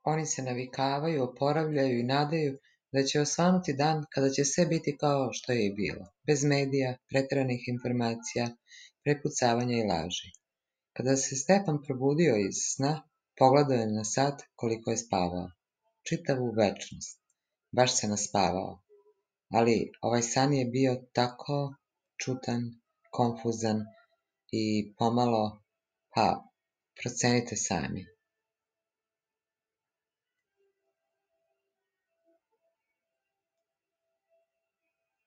Oni se navikavaju, oporavljaju i nadaju da će osvanuti dan kada će sve biti kao što je i bilo, bez medija, preteranih informacija, prepucavanja i laži. Kada se Stepan probudio iz sna, pogledao je na sat koliko je spavao. Čitavu večnost. Baš se naspavao. Ali ovaj san je bio tako čudan, konfuzan i pomalo, procenite sami.